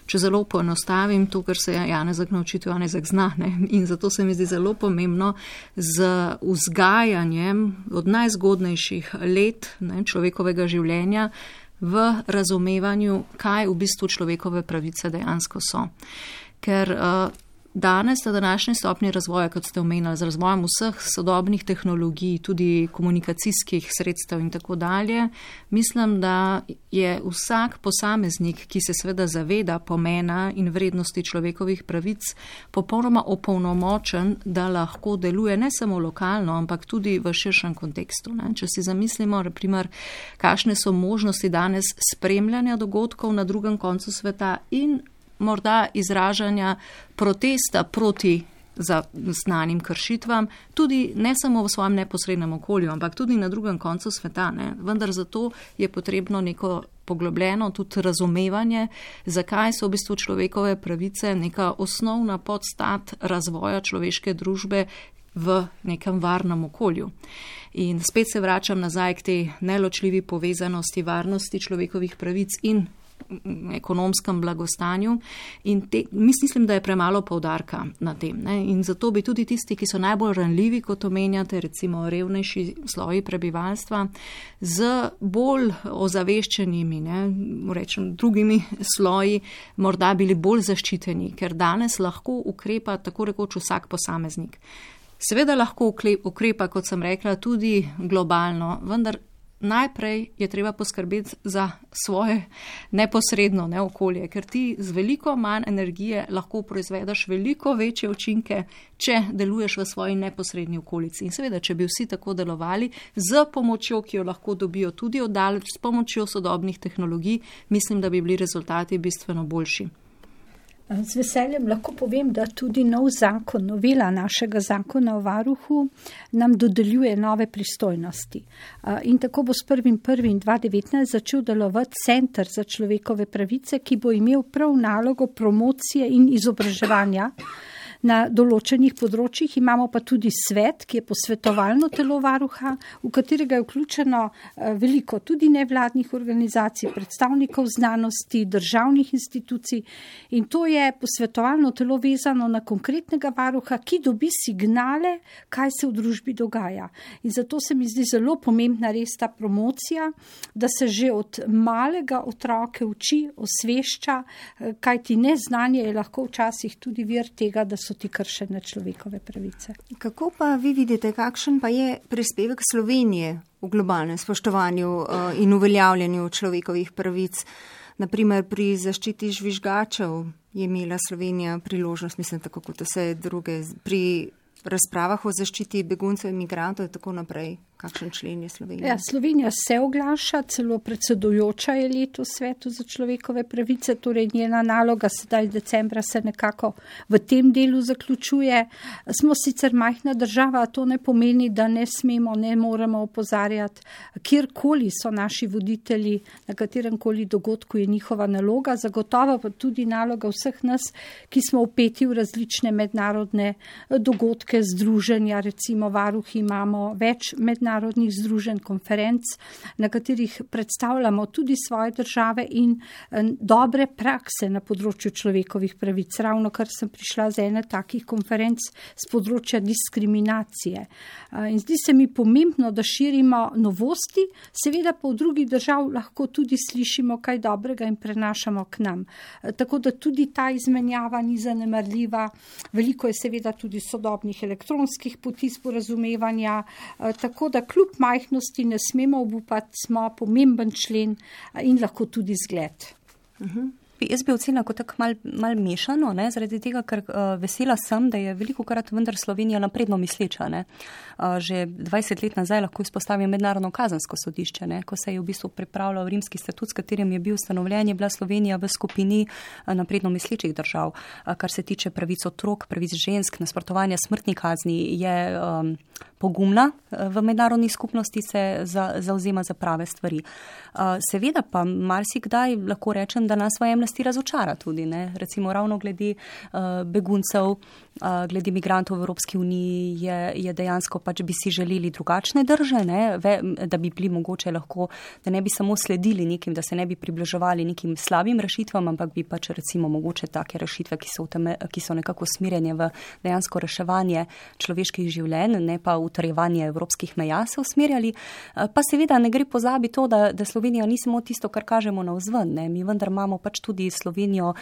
Če zelo poenostavim to, kar se Janezek naučiti, Janezek zna, ne? In zato se mi zdi zelo pomembno z vzgajanjem od najzgodnejših let, ne, človekovega življenja v razumevanju, kaj v bistvu človekove pravice dejansko so. Ker danes, na današnji stopnji razvoja, kot ste omenili, z razvojem vseh sodobnih tehnologij, tudi komunikacijskih sredstev in tako dalje, mislim, da je vsak posameznik, ki se seveda zaveda pomena in vrednosti človekovih pravic, popolnoma opolnomočen, da lahko deluje ne samo lokalno, ampak tudi v širšem kontekstu, ne. Če si zamislimo, na primer, kakšne so možnosti danes spremljanja dogodkov na drugem koncu sveta in morda izražanja protesta proti znanim kršitvam, tudi ne samo v svojem neposrednem okolju, ampak tudi na drugem koncu sveta, ne. Vendar zato je potrebno neko poglobljeno tudi razumevanje, zakaj so v bistvu človekove pravice neka osnovna podstat razvoja človeške družbe v nekem varnem okolju. In spet se vračam nazaj k tej neločljivi povezanosti varnosti človekovih pravic in ekonomskem blagostanju in mislim, da je premalo poudarka na tem, ne? In zato bi tudi tisti, ki so najbolj ranljivi, kot omenjate, recimo revnejši sloji prebivalstva, z bolj ozaveščenimi, ne, rečem, drugimi sloji, morda bili bolj zaščiteni, ker danes lahko ukrepa tako rekoč vsak posameznik. Seveda lahko ukrepa, kot sem rekla, tudi globalno, vendar najprej je treba poskrbeti za svoje neposredno okolje, ker ti z veliko manj energije lahko proizvedeš veliko večje učinke, če deluješ v svoji neposredni okolici. In seveda, če bi vsi tako delovali, z pomočjo, ki jo lahko dobijo tudi oddaleč, s pomočjo sodobnih tehnologij, mislim, da bi bili rezultati bistveno boljši. Z veseljem lahko povem, da tudi nov zakon, novela našega zakona o varuhu nam dodeljuje nove pristojnosti. In tako bo s 1.1.2019 začel delovati Center za človekove pravice, ki bo imel prav nalogo promocije in izobraževanja. Na določenih področjih imamo pa tudi svet, ki je posvetovalno telo varuha, v katerega je vključeno veliko tudi nevladnih organizacij, predstavnikov znanosti, državnih institucij, in to je posvetovalno telo vezano na konkretnega varuha, ki dobi signale, kaj se v družbi dogaja. In zato se mi zdi zelo pomembna res ta promocija, da se že od malega otroke uči, osvešča, kajti neznanje je lahko včasih tudi vir tega, da so ti kršene človekove pravice. Kako pa vi vidite, kakšen pa je prispevek Slovenije v globalnem spoštovanju in uveljavljanju človekovih pravic? Naprimer, pri zaščiti žvižgačev je imela Slovenija priložnost, mislim, tako kot vse druge, pri razpravah o zaščiti beguncev in migrantov in tako naprej. Kakšen člen je Slovenija? Ja, Slovenija se oglaša, celo predsedujoča je letos Svetu za človekove pravice, torej njena naloga sedaj decembra se nekako v tem delu zaključuje. Smo sicer majhna država, a to ne pomeni, da ne smemo, ne moremo opozarjati, kjerkoli so naši voditelji, na kateremkoli dogodku je njihova naloga, zagotovo pa tudi naloga vseh nas, ki smo vpeti v različne mednarodne dogodke, združenja, recimo varuhi imamo več mednarodnih združenj, konferenc, na katerih predstavljamo tudi svoje države in dobre prakse na področju človekovih pravic. Ravno kar sem prišla z ene takih konferenc z področja diskriminacije. In zdi se mi pomembno, da širimo novosti, seveda pa v drugih držav lahko tudi slišimo kaj dobrega in prenašamo k nam. Tako da tudi ta izmenjava ni zanemarljiva. Veliko je seveda tudi sodobnih elektronskih poti sporazumevanja, tako da kljub majhnosti ne smemo obupati, smo pomemben člen in lahko tudi zgled. Jaz bi ocenila kot tako mal mešano, zaradi tega, ker vesela sem, da je velikokrat vendar Slovenija napredno misleča. Že 20 let nazaj lahko izpostavim Mednarodno kazensko sodišče, ko se je v bistvu pripravljal Rimski statut, s katerim je bil ustanovljen, je bila Slovenija v skupini napredno mislečih držav. Kar se tiče pravic otrok, pravic žensk, nasprotovanja smrtni kazni, je pogumna v mednarodni skupnosti, se zauzema za prave stvari. Seveda pa marsikdaj lahko rečem, da nas v jemnosti razočara tudi, recimo ravno glede beguncev, glede migrantov v Evropski uniji je dejansko pač bi si želeli drugačne drže, da bi bili mogoče lahko, da ne bi samo sledili nekim, da se ne bi približevali nekim slabim rešitvam, ampak bi pač recimo mogoče take rešitve, ki so nekako usmerjene v dejansko reševanje človeških življenj, ne pa utrjevanje evropskih meja se usmerjali. Pa seveda ne gre pozabiti to, da Slovenija ni samo tisto, kar kažemo navzven. Mi vendar imamo pač tudi Slovenijo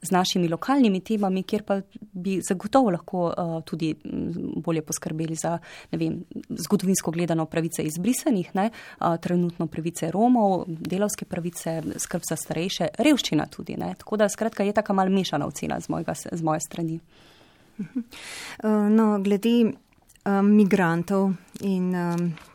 z našimi lokalnimi temami, kjer pa bi zagotovo lahko tudi bolje poskrbeli za, zgodovinsko gledano pravice izbrisanih, trenutno pravice Romov, delavske pravice, skrb za starejše, revščina tudi. Tako da skratka je taka mal mešana ocena z moje strani. No, glede migrantov in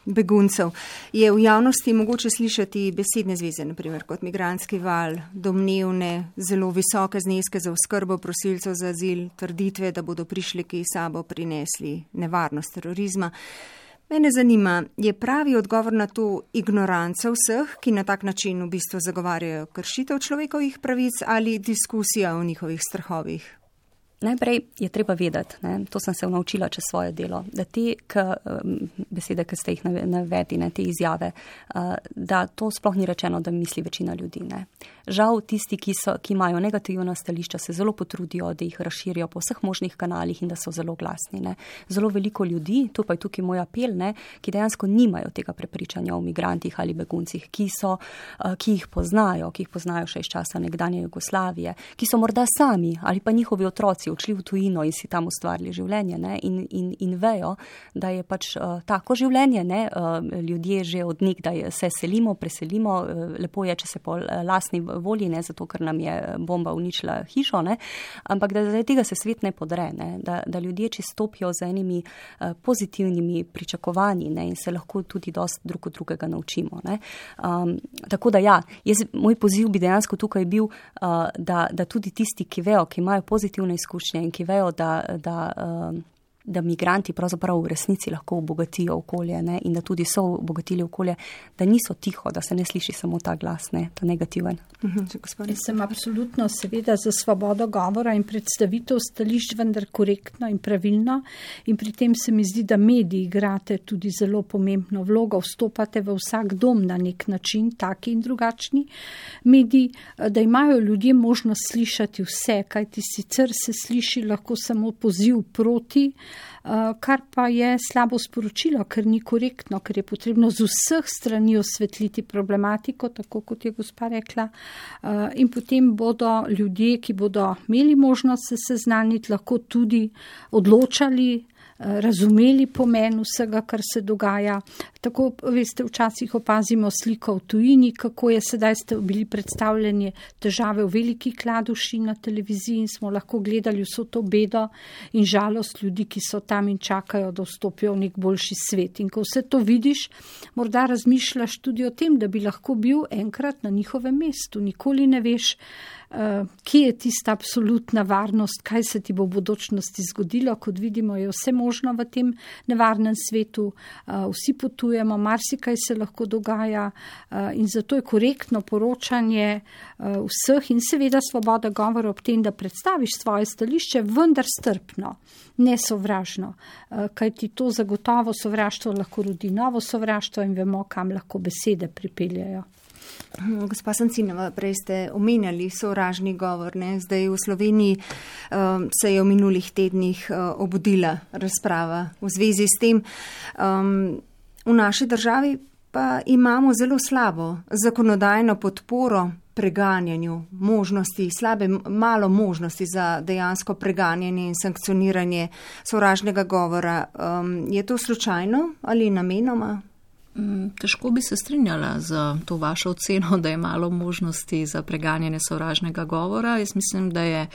beguncev je v javnosti mogoče slišati besedne zveze, naprimer kot migrantski val, domnevne, zelo visoke zneske za oskrbo prosilcev za azil, trditve, da bodo prišleki sabo prinesli nevarnost terorizma. Mene zanima, je pravi odgovor na to ignoranca vseh, ki na tak način v bistvu zagovarjajo kršitev človekovih pravic, ali diskusija o njihovih strahovih? Najprej je treba vedeti, to sem se naučila čez svoje delo, da te besede, ki ste jih navedli, te izjave, da to sploh ni rečeno, da misli večina ljudi. Žal tisti, ki imajo negativna stališča, se zelo potrudijo, da jih razširijo po vseh možnih kanalih in da so zelo glasni. Zelo veliko ljudi, to pa je tukaj moj apel, ki dejansko nimajo tega prepričanja o migrantih ali beguncih, ki jih poznajo še iz časa nekdanje Jugoslavije, ki so morda sami ali pa njihovi otroci odšli v tujino in si tam ustvarili življenje, ne, in vejo, da je pač tako življenje, ne, ljudje že od nekdaj se selimo, preselimo, lepo je, če se po lastni volji, ne, zato ker nam je bomba uničila hišo, ne, ampak da zaradi tega se svet ne podre, ne, da ljudje stopijo z enimi pozitivnimi pričakovanji, ne, in se lahko tudi dosti drug od drugega naučimo, ne. Tako da ja, moj poziv bi dejansko tukaj bil, da tudi tisti, ki vejo, ki imajo pozitivne izkušnje in ki vejo, da migranti pravzaprav v resnici lahko obogatijo okolje, ne, in da tudi so obogatili okolje, da niso tiho, da se ne sliši samo ta glas, ne, ta negativen. Jaz sem absolutno seveda za svobodo govora in predstavitev stališč, vendar korektno in pravilno, in pri tem se mi zdi, da mediji igrate tudi zelo pomembno vlogo, vstopate v vsak dom na nek način, taki in drugačni mediji, da imajo ljudje možnost slišati vse, kajti sicer se sliši lahko samo poziv proti, kar pa je slabo sporočilo, ker ni korektno, ker je potrebno z vseh strani osvetliti problematiko, tako kot je gospa rekla, in potem bodo ljudje, ki bodo imeli možnost se seznaniti, lahko tudi odločali, razumeli pomen vsega, kar se dogaja. Tako, veste, včasih opazimo sliko v tujini, kako je sedaj bili predstavljeni težave v Veliki Kladuši na televiziji in smo lahko gledali vso to bedo in žalost ljudi, ki so tam in čakajo, da vstopijo v nek boljši svet. In ko vse to vidiš, morda razmišljaš tudi o tem, da bi lahko bil enkrat na njihovem mestu. Nikoli ne veš, kje je tista absolutna varnost, kaj se ti bo v bodočnosti zgodilo. Kot vidimo, je vse možno v tem nevarnem svetu, vsi potujemo, marsikaj se lahko dogaja in zato je korektno poročanje vseh in seveda svoboda govora ob tem, da predstaviš svoje stališče, vendar strpno, ne sovražno, kajti to zagotovo sovraštvo lahko rodi novo sovraštvo in vemo, kam lahko besede pripeljajo. Gospa Sancinova, prej ste omenjali sovražni govor, ne? Zdaj v Sloveniji se je v minulih tednih obudila razprava v zvezi s tem. V naši državi pa imamo zelo slabo zakonodajno podporo preganjanju možnosti, malo možnosti za dejansko preganjanje in sankcioniranje sovražnega govora. Je to slučajno ali namenoma? Težko bi se strinjala z to vašo oceno, da je malo možnosti za preganjanje sovražnega govora. Jaz mislim, da je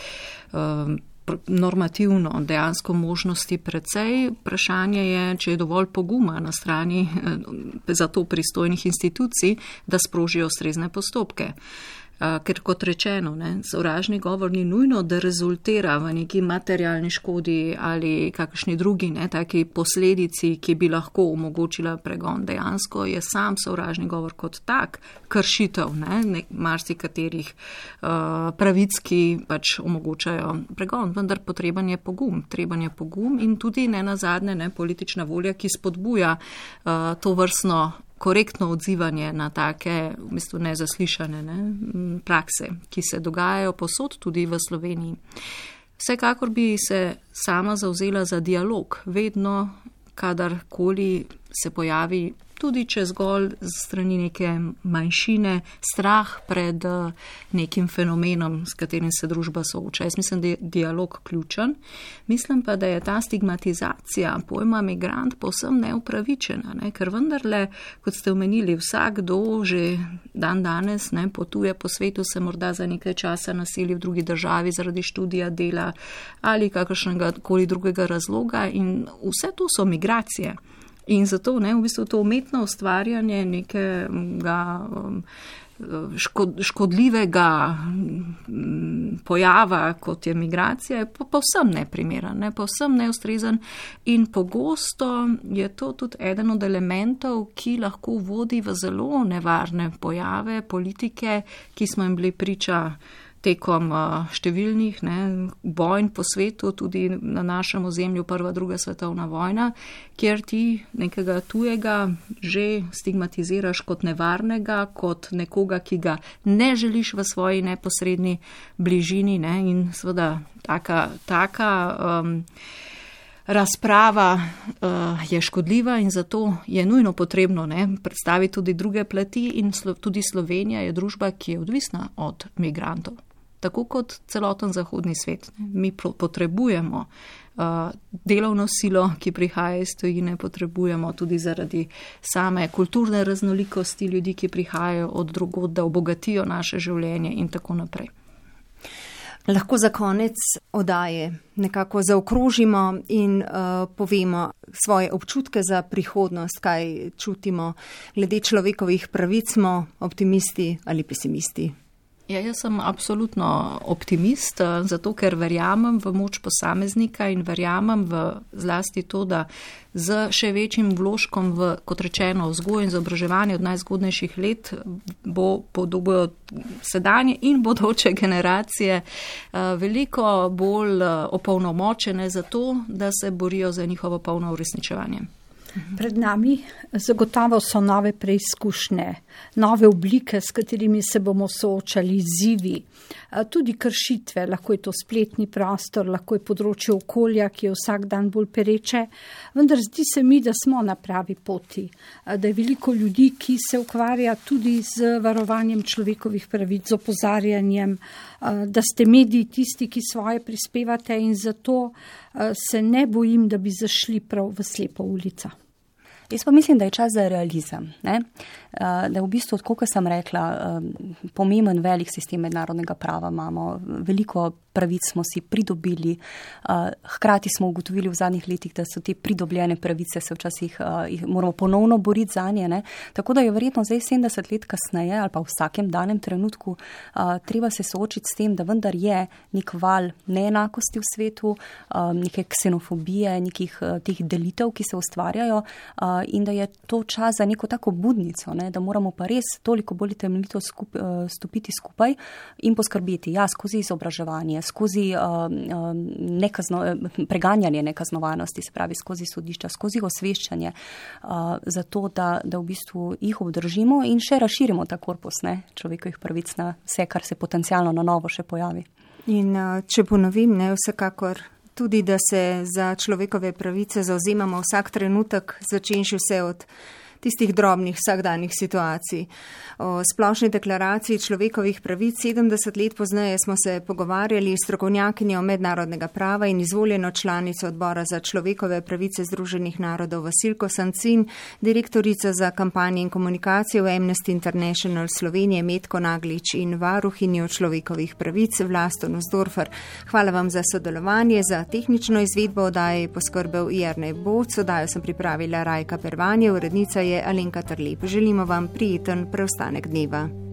normativno dejansko možnosti precej. Vprašanje je, če je dovolj poguma na strani za to pristojnih institucij, da sprožijo ustrezne postopke. Ker kot rečeno, sovražni govor ni nujno, da rezultira v neki materialni škodi ali kakšni drugi taki posledici, ki bi lahko omogočila pregon. Dejansko je sam sovražni govor kot tak kršitev marsikaterih pravic, ki pač omogočajo pregon. Vendar potreben je pogum in tudi nenazadnje politična volja, ki spodbuja to vrstno korektno odzivanje na take v bistvu nezaslišane prakse, ki se dogajajo povsod tudi v Sloveniji. Vsekakor bi se sama zavzela za dialog, vedno, kadarkoli se pojavi, tudi če zgolj z strani neke manjšine, strah pred nekim fenomenom, s katerim se družba sooča. Jaz mislim, da je dialog ključen. Mislim pa, da je ta stigmatizacija pojma migrant povsem neupravičena, ker vendarle, kot ste omenili, vsakdo že dan danes potuje po svetu, se morda za nekaj časa naseli v drugi državi zaradi študija, dela ali kakršnega koli drugega razloga in vse to so migracije. In zato v bistvu to umetno ustvarjanje nekega škodljivega pojava, kot je migracija, je povsem neprimeren, povsem neustrezen in pogosto je to tudi eden od elementov, ki lahko vodi v zelo nevarne pojave politike, ki smo jim bili priča tekom številnih vojn po svetu, tudi na našem ozemlju prva, druga svetovna vojna, kjer ti nekega tujega že stigmatiziraš kot nevarnega, kot nekoga, ki ga ne želiš v svoji neposredni bližini in seveda taka razprava je škodljiva in zato je nujno potrebno predstaviti tudi druge plati in tudi Slovenija je družba, ki je odvisna od migrantov. tako kot celoten zahodni svet. Mi potrebujemo delovno silo, ki prihaja iz tujine, potrebujemo tudi zaradi same kulturne raznolikosti ljudi, ki prihajajo od drugod, da obogatijo naše življenje in tako naprej. Lahko za konec oddaje nekako zaokrožimo in povemo svoje občutke za prihodnost, kaj čutimo glede človekovih pravic, smo optimisti ali pesimisti. Ja, jaz sem absolutno optimist, zato ker verjamem v moč posameznika in verjamem v zlasti to, da z še večjim vložkom v, kot rečeno, vzgojo in izobraževanje od najzgodnejših let bodo sedanje in bodoče generacije veliko bolj opolnomočene za to, da se borijo za njihovo polno uresničevanje. Pred nami zagotovo so nove preizkušnje, nove oblike, s katerimi se bomo soočali, izzivi, tudi kršitve, lahko je to spletni prostor, lahko je področje okolja, ki je vsak dan bolj pereče, vendar zdi se mi, da smo na pravi poti, da je veliko ljudi, ki se ukvarja tudi z varovanjem človekovih pravic, z opozarjanjem, da ste mediji tisti, ki svoje prispevate in zato se ne bojim, da bi zašli prav v slepo ulico. Jaz pa mislim, da je čas za realizem, ne? Da je v bistvu, kot sem rekla, pomemben velik sistem mednarodnega prava imamo, veliko pravic smo si pridobili, hkrati smo ugotovili v zadnjih letih, da so te pridobljene pravice se včasih jih moramo ponovno boriti za nje, ne? Tako da je verjetno zdaj 70 let kasneje ali pa v vsakem danem trenutku treba se soočiti s tem, da vendar je nek val neenakosti v svetu, neke ksenofobije, nekih teh delitev, ki se ustvarjajo, in da je to čas za neko tako budnico, ne, da moramo pa res toliko bolj temeljito stopiti skupaj in poskrbeti, skozi izobraževanje, skozi preganjanje nekaznovanosti, se pravi skozi sodišča, skozi osveščanje, zato da v bistvu jih obdržimo in še razširimo ta korpus, ne, človekovih pravic na vse, kar se potencialno na novo še pojavi. In če ponovim, ne, vsekakor tudi, da se za človekove pravice zauzemamo vsak trenutek, začenši vse od tistih drobnih vsakdanjih situacij. O splošni deklaraciji človekovih pravic 70 let pozneje smo se pogovarjali s strokovnjakinjo mednarodnega prava in izvoljeno članico odbora za človekove pravice Združenih narodov Vasilko Sancin, direktorica za kampanje in komunikacijo v Amnesty International Slovenije Metko Naglič in varuhinjo človekovih pravic Vlasto Nussdorfer. Hvala vam za sodelovanje, za tehnično izvedbo oddaje je poskrbel Jernej Boc, oddajo sem pripravila Rajka Pervanje, urednica je Alenka Trlep. Želimo vam prijeten preostanek dneva.